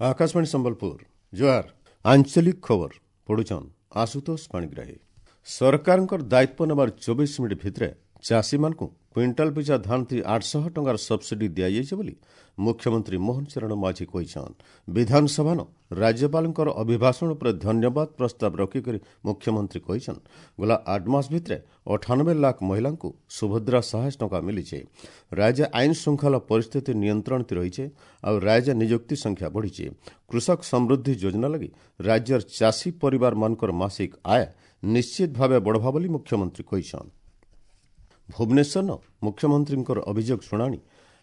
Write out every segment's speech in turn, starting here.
ଆକାଶବାଣୀ ସମ୍ବଲପୁର, ଜୁହାର। ଆଞ୍ଚଳିକ ଖବର ପଢୁଛନ୍ ଆଶୁତୋଷ ପାଣିଗ୍ରାହୀ। ସରକାରଙ୍କର ଦାୟିତ୍ୱ ନେବାର 24 ମିନିଟ୍ ଭିତରେ ଚାଷୀମାନଙ୍କୁ କ୍ୱିଣ୍ଟାଲ ପିଛା ଧାନ 800 ଟଙ୍କାର ସବସିଡି ଦିଆଯାଇଛି ବୋଲି ମୁଖ୍ୟମନ୍ତ୍ରୀ ମୋହନ ଚରଣ ମାଝୀ କହିଛନ୍। ବିଧାନସଭାନ ରାଜ୍ୟପାଳଙ୍କର ଅଭିଭାଷଣ ଉପରେ ଧନ୍ୟବାଦ ପ୍ରସ୍ତାବ ରଖିକରି ମୁଖ୍ୟମନ୍ତ୍ରୀ କହିଛନ୍, ଗଲା 8 ମାସ ଭିତରେ 98 ଲାଖ ମହିଳାଙ୍କୁ ସୁଭଦ୍ରା ସାହାଯ୍ୟ ଟଙ୍କା ମିଳିছে। ରାଜ୍ୟ ଆଇନ ଶୃଙ୍ଖଳା ପରିସ୍ଥିତି ନିୟନ୍ତ୍ରଣ ରହିছে ଆଉ ରାଜ୍ୟ ନିଯୁକ୍ତି ସଂଖ୍ୟା ବଢ଼ିଛି। କୃଷକ ସମୃଦ୍ଧି ଯୋଜନା ଲାଗି ରାଜ୍ୟର ଚାଷୀ ପରିବାରମାନଙ୍କର ମାସିକ ଆୟ ନିଶ୍ଚିତ ଭାବେ ବଢ଼ବା ବୋଲି ମୁଖ୍ୟମନ୍ତ୍ରୀ କହିଛନ୍। ଭୁବନେଶ୍ୱର ମୁଖ୍ୟମନ୍ତ୍ରୀଙ୍କର ଅଭିଯୋଗ ଶୁଣାଣି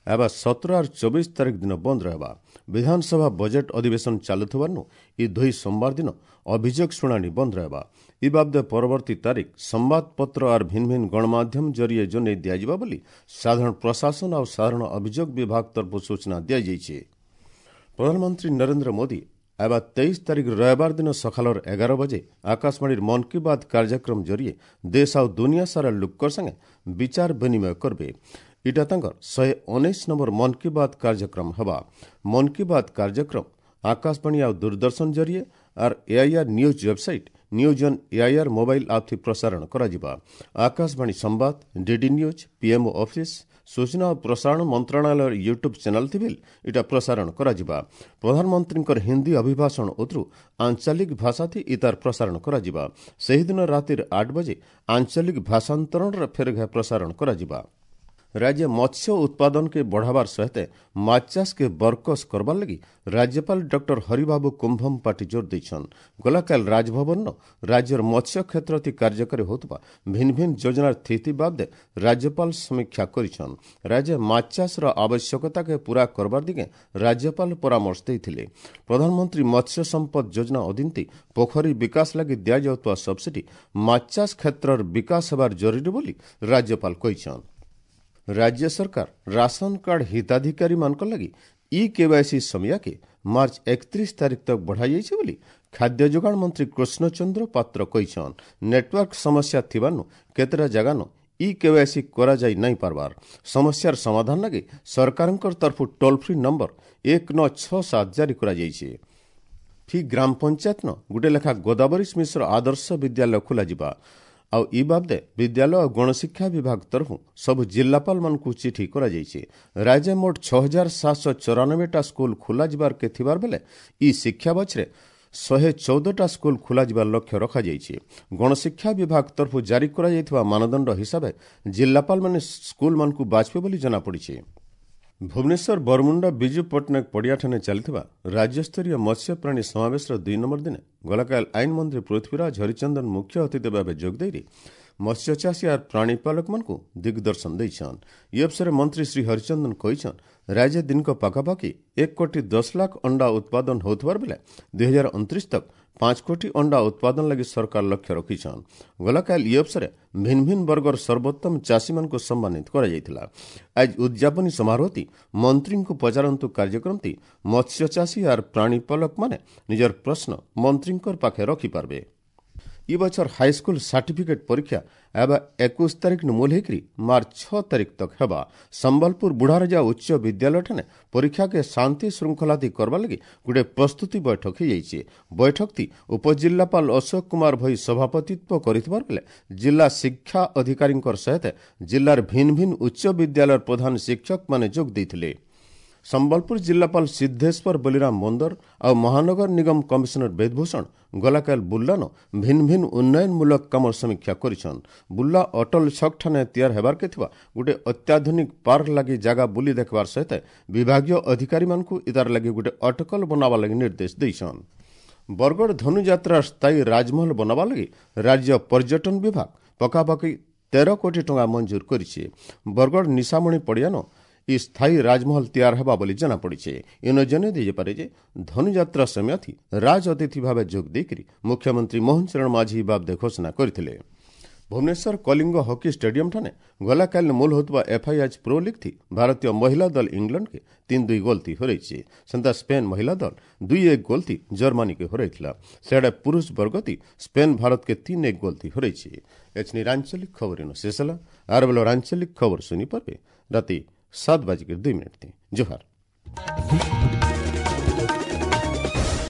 ଏବେ 17 ଆର୍ 24 ତାରିଖ ଦିନ ବନ୍ଦ ରହିବା। ବିଧାନସଭା ବଜେଟ୍ ଅଧିବେଶନ ଚାଲୁଥିବାରୁ ଇ ଦୁଇ ସୋମବାର ଦିନ ଅଭିଯୋଗ ଶୁଣାଣି ବନ୍ଦ ରହିବା। ଇ ବାବଦେ ପରବର୍ତ୍ତୀ ତାରିଖ ସମ୍ବାଦପତ୍ର ଆର୍ ଭିନ୍ନ ଭିନ୍ନ ଗଣମାଧ୍ୟମ ଜରିଏ ଜଣାଇ ଦିଆଯିବ ବୋଲି ସାଧାରଣ ପ୍ରଶାସନ ଆଉ ସାଧାରଣ ଅଭିଯୋଗ ବିଭାଗ ତରଫରୁ ସୂଚନା ଦିଆଯାଇଛି। ପ୍ରଧାନମନ୍ତ୍ରୀ ନରେନ୍ଦ୍ର ମୋଦି ଏବେ 23 ତାରିଖ ରବିବାର ଦିନ ସକାଳର 11 ବଜେ ଆକାଶବାଣୀର ମନ୍ କି ବାତ୍ କାର୍ଯ୍ୟକ୍ରମ ଜରିଏ ଦେଶ ଆଉ ଦୁନିଆ ସାରା ଲୋକର ସାଙ୍ଗେ ବିଚାର ବିନିମୟ କରିବେ। ଇଟା ତାଙ୍କର 119 ନମ୍ବର ମନ୍ କି ବାତ୍ କାର୍ଯ୍ୟକ୍ରମ ହେବା। ମନ୍ କି ବାତ୍ କାର୍ଯ୍ୟକ୍ରମ ଆକାଶବାଣୀ ଆଉ ଦୂରଦର୍ଶନ ଜରିଏ ଆର୍ AIR news website, news on AIR mobile app ଥି ପ୍ରସାରଣ କରାଯିବା। ଆକାଶବାଣୀ ସମ୍ବାଦ, ଡିଡି ନ୍ୟୁଜ୍, ପିଏମ୍ଓ ଅଫିସ୍, ସୂଚନା ଓ ପ୍ରସାରଣ ମନ୍ତ୍ରଣାଳୟର ୟୁଟ୍ୟୁବ୍ ଚ୍ୟାନେଲ୍ ଥିବିଲ୍ ଇଟା ପ୍ରସାରଣ କରାଯିବା। ପ୍ରଧାନମନ୍ତ୍ରୀଙ୍କର ହିନ୍ଦୀ ଅଭିଭାଷଣ ଉତରୁ ଆଞ୍ଚଳିକ ଭାଷାଥି ଇତାର ପ୍ରସାରଣ କରାଯିବା। ସେହିଦିନ ରାତିର 8 ବଜେ ଆଞ୍ଚଳିକ ଭାଷାନ୍ତରଣର ଫେରଘା ପ୍ରସାରଣ କରାଯିବା। ରାଜ୍ୟ ମତ୍ସ୍ୟ ଉତ୍ପାଦନକେ ବଢ଼ାବାର ସହିତ ମାଛ ଚାଷକେ ବରକସ କରବାର ଲାଗି ରାଜ୍ୟପାଳ ଡକ୍ଟର ହରିବାବୁ କୁମ୍ଭମପାଟି ଜୋର ଦେଇଛନ୍। ଗଲାକାଲ ରାଜଭବନ ରାଜ୍ୟର ମତ୍ସ୍ୟ କ୍ଷେତ୍ରତି କାର୍ଯ୍ୟକାରୀ ହେଉଥିବା ଭିନ୍ନ ଭିନ୍ନ ଯୋଜନାର ସ୍ଥିତି ବାବଦେ ରାଜ୍ୟପାଳ ସମୀକ୍ଷା କରିଛନ୍। ରାଜ୍ୟ ମାଛ ଚାଷର ଆବଶ୍ୟକତାକେ ପୂରା କରବାର ଦିଗେ ରାଜ୍ୟପାଳ ପରାମର୍ଶ ଦେଇଥିଲେ। ପ୍ରଧାନମନ୍ତ୍ରୀ ମତ୍ସ୍ୟ ସମ୍ପଦ ଯୋଜନା ଅଧୀନତି ପୋଖରୀ ବିକାଶ ଲାଗି ଦିଆଯାଉଥିବା ସବସିଡି ମାଛ ଚାଷ କ୍ଷେତ୍ରର ବିକାଶ ହେବାର ଜରୁରୀ ବୋଲି ରାଜ୍ୟପାଳ କହିଛନ୍। ରାଜ୍ୟ ସରକାର ରାସନ କାର୍ଡ ହିତାଧିକାରୀମାନଙ୍କ ଲାଗି ଇ କେୱାଇସି ସମୟକେ ମାର୍ଚ୍ଚ 31 ତାରିଖ ତକ ବଢ଼ାଯାଇଛି ବୋଲି ଖାଦ୍ୟ ଯୋଗାଣ ମନ୍ତ୍ରୀ କୃଷ୍ଣଚନ୍ଦ୍ର ପାତ୍ର କହିଛନ୍। ନେଟୱାର୍କ ସମସ୍ୟା ଥିବାରୁ କେତେଟା ଜାଗାନ ଇ କେୱାଇସି କରାଯାଇ ନାଇଁ ପାରବାର। ସମସ୍ୟାର ସମାଧାନ ଲାଗି ସରକାରଙ୍କ ତରଫରୁ ଟୋଲ୍ ଫ୍ରି ନମ୍ବର 1967 ଜାରି କରାଯାଇଛି। ଫି ଗ୍ରାମ ପଞ୍ଚାୟତନ ଗୋଟେ ଲେଖା ଗୋଦାବରୀଶ ମିଶ୍ର ଆଦର୍ଶ ବିଦ୍ୟାଳୟ ଖୋଲାଯିବା ଆଉ ଇ ବାବଦେ ବିଦ୍ୟାଳୟ ଓ ଗଣଶିକ୍ଷା ବିଭାଗ ତରଫରୁ ସବୁ ଜିଲ୍ଲାପାଳମାନଙ୍କୁ ଚିଠି କରାଯାଇଛି। ରାଜ୍ୟ ମୋଟ 6794ଟା ସ୍କୁଲ ଖୋଲାଯିବାର ଥିବାର ବେଲେ ଇ ଶିକ୍ଷା ବଛରେ 114ଟା ସ୍କୁଲ ଖୋଲାଯିବାର ଲକ୍ଷ୍ୟ ରଖାଯାଇଛି। ଗଣଶିକ୍ଷା ବିଭାଗ ତରଫରୁ ଜାରି କରାଯାଇଥିବା ମାନଦଣ୍ଡ ହିସାବେ ଜିଲ୍ଲାପାଳମାନେ ସ୍କୁଲମାନଙ୍କୁ ବାଛିବେ ବୋଲି ଜଣାପଡ଼ିଛି। ଭୁବନେଶ୍ୱର ବରମୁଣ୍ଡା ବିଜୁ ପଟ୍ଟନାୟକ ପଡ଼ିଆଠାରେ ଚାଲିଥିବା ରାଜ୍ୟସ୍ତରୀୟ ମତ୍ସ୍ୟପ୍ରାଣୀ ସମାବେଶର 2 ନମ୍ବର ଦିନେ ଗଲାକାଲ ଆଇନ ମନ୍ତ୍ରୀ ପୃଥ୍ୱୀରାଜ ହରିଚନ୍ଦନ ମୁଖ୍ୟ ଅତିଥି ଭାବେ ଯୋଗଦେଇ ମତ୍ସ୍ୟଚାଷୀ ଆର୍ ପ୍ରାଣୀପାଳକମାନଙ୍କୁ ଦିଗ୍ଦର୍ଶନ ଦେଇଛନ୍। ଇ ଅବସରରେ ମନ୍ତ୍ରୀ ଶ୍ରୀ ହରିଚନ୍ଦନ କହିଛନ୍, ରାଜ୍ୟ ଦିନକ ପାଖାପାଖି 1 କୋଟି 10 ଲାଖ ଅଣ୍ଡା ଉତ୍ପାଦନ ହେଉଥିବାର ବେଲେ 2029 ତକ 5 କୋଟି ଅଣ୍ଡା ଉତ୍ପାଦନ ଲାଗି ସରକାର ଲକ୍ଷ୍ୟ ରଖିଛନ୍। ଗଲାକାଲ ଇ ଅବସରରେ ଭିନ୍ନ ଭିନ୍ନ ବର୍ଗର ସର୍ବୋତ୍ତମ ଚାଷୀମାନଙ୍କୁ ସମ୍ମାନିତ କରାଯାଇଥିଲା। ଆଜି ଉଦ୍ଯାପନୀ ସମାରୋହଟି ମନ୍ତ୍ରୀଙ୍କୁ ପଚାରନ୍ତୁ କାର୍ଯ୍ୟକ୍ରମଟି ମତ୍ସ୍ୟଚାଷୀ ଆର୍ ପ୍ରାଣୀପାଳକମାନେ ନିଜର ପ୍ରଶ୍ନ ମନ୍ତ୍ରୀଙ୍କ ପାଖେ ରଖିପାରିବେ। ଇ ବଛର ହାଇସ୍କୁଲ ସାର୍ଟିଫିକେଟ୍ ପରୀକ୍ଷା ଏବେ 21 ତାରିଖ ମୂଲ ହେଇକରି ମାର୍ଚ୍ଚ 6 ତାରିଖ ତକ ହେବା। ସମ୍ବଲପୁର ବୁଢ଼ାରଜା ଉଚ୍ଚ ବିଦ୍ୟାଳୟଠାନେ ପରୀକ୍ଷାକେ ଶାନ୍ତି ଶୃଙ୍ଖଳାତି କରବା ଲାଗି ଗୋଟେ ପ୍ରସ୍ତୁତି ବୈଠକ ହେଇଯାଇଛି। ବୈଠକଟି ଉପଜିଲ୍ଲାପାଳ ଅଶୋକ କୁମାର ଭୋଇ ସଭାପତିତ୍ୱ କରିଥିବାର ବେଲେ ଜିଲ୍ଲା ଶିକ୍ଷା ଅଧିକାରୀଙ୍କର ସହିତ ଜିଲ୍ଲାର ଭିନ୍ନ ଭିନ୍ନ ଉଚ୍ଚ ବିଦ୍ୟାଳୟର ପ୍ରଧାନ ଶିକ୍ଷକମାନେ ଯୋଗ ଦେଇଥିଲେ। ସମ୍ବଲପୁର ଜିଲ୍ଲାପାଳ ସିଦ୍ଧେଶ୍ୱର ବଲିରାମ ମନ୍ଦର ଆଉ ମହାନଗର ନିଗମ କମିଶନର ବେଦଭୂଷଣ ଗଲାକାଲ ବୁର୍ଲାନ ଭିନ୍ନ ଭିନ୍ନ ଉନ୍ନୟନମୂଳକ କାମର ସମୀକ୍ଷା କରିଛନ୍। ବୁର୍ଲା ଅଟଲ ଛକଠାନେ ତିଆର ହେବାରକେ ଥିବା ଗୋଟେ ଅତ୍ୟାଧୁନିକ ପାର୍କ ଲାଗି ଜାଗା ବୁଲି ଦେଖିବାର ସହିତ ବିଭାଗୀୟ ଅଧିକାରୀମାନଙ୍କୁ ଇତାର ଲାଗି ଗୋଟେ ଅଟକଲ ବନାବା ଲାଗି ନିର୍ଦ୍ଦେଶ ଦେଇଛନ୍। ବରଗଡ଼ ଧନୁଯାତ୍ରାର ସ୍ଥାୟୀ ରାଜମହଲ ବନାବା ଲାଗି ରାଜ୍ୟ ପର୍ଯ୍ୟଟନ ବିଭାଗ ପାଖାପାଖି 13 କୋଟି ଟଙ୍କା ମଞ୍ଜୁର କରିଛି। ବରଗଡ଼ ନିଶାମଣି ପଡ଼ିଆନ ଇ ସ୍ଥାୟୀ ରାଜମହଲ ତିଆର ହେବା ବୋଲି ଜଣାପଡ଼ିছে। ଇନ ଜଣାଇ ଦେଇପାରେ ଯେ ଧନୁଯାତ୍ରା ସମୟଥି ରାଜ ଅତିଥି ଭାବେ ଯୋଗ ଦେଇକରି ମୁଖ୍ୟମନ୍ତ୍ରୀ ମୋହନ ଚରଣ ମାଝୀ ବାବଦେ ଘୋଷଣା କରିଥିଲେ। ଭୁବନେଶ୍ୱର କଳିଙ୍ଗ ହକି ଷ୍ଟାଡିୟମଠାରେ ଗଲାକାଲି ମୂଲ ହେଉଥିବା ଏଫ୍ଆଇଏଚ୍ ପ୍ରୋ ଲିଗ୍ ଥି ଭାରତୀୟ ମହିଳା ଦଳ ଇଂଲଣ୍ଡକେ 3-2 ଗୋଲ୍ ଥି ହରାଇଛି। ସେନ୍ତା ସ୍ପେନ୍ ମହିଳା ଦଳ 2-1 ଗୋଲ୍ ଥି ଜର୍ମାନୀକେ ହରାଇଥିଲା। ସେଆଡ଼େ ପୁରୁଷ ବର୍ଗତି ସ୍ପେନ୍ ଭାରତକେ 3-1 ଗୋଲ୍ ଥି ହରାଇଛି। ଏଛନି ଆଞ୍ଚଳିକ ଖବର ଇନ ଶେଷ ହେଲା। ଆର ବେଲ ଆଞ୍ଚଳିକ ଖବର ଶୁଣିପାରିବେ ରାତି 7:02। ଜୁହାର।